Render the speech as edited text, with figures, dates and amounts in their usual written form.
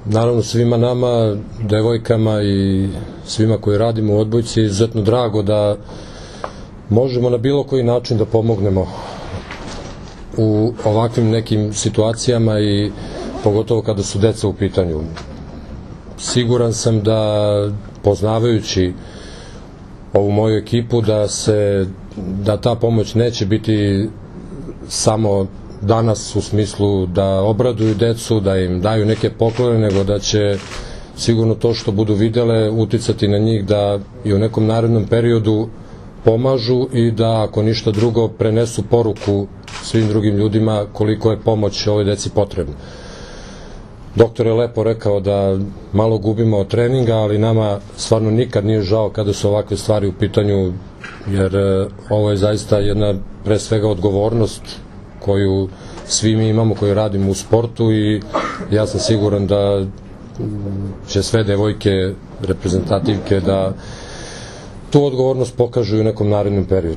naravno svima nama, devojkama i svima koji radimo u odbojci je izuzetno drago da možemo na bilo koji način da pomognemo u ovakvim nekim situacijama i pogotovo kada su deca u pitanju. Siguran sam da, poznavajući ovu moju ekipu, da ta pomoć neće biti samo danas u smislu da obraduju decu, da im daju neke poklone, nego da će sigurno to što budu videle uticati na njih da i u nekom narednom periodu pomažu i da, ako ništa drugo, prenesu poruku svim drugim ljudima koliko je pomoć ovoj deci potrebna. Doktor je lepo rekao da malo gubimo od treninga, ali nama stvarno nikad nije žao kada su ovakve stvari u pitanju, jer ovo je zaista jedna, pre svega, odgovornost koju svi mi imamo koji radimo u sportu i ja sam siguran da će sve devojke, reprezentativke, da tu odgovornost pokažu u nekom narednom periodu.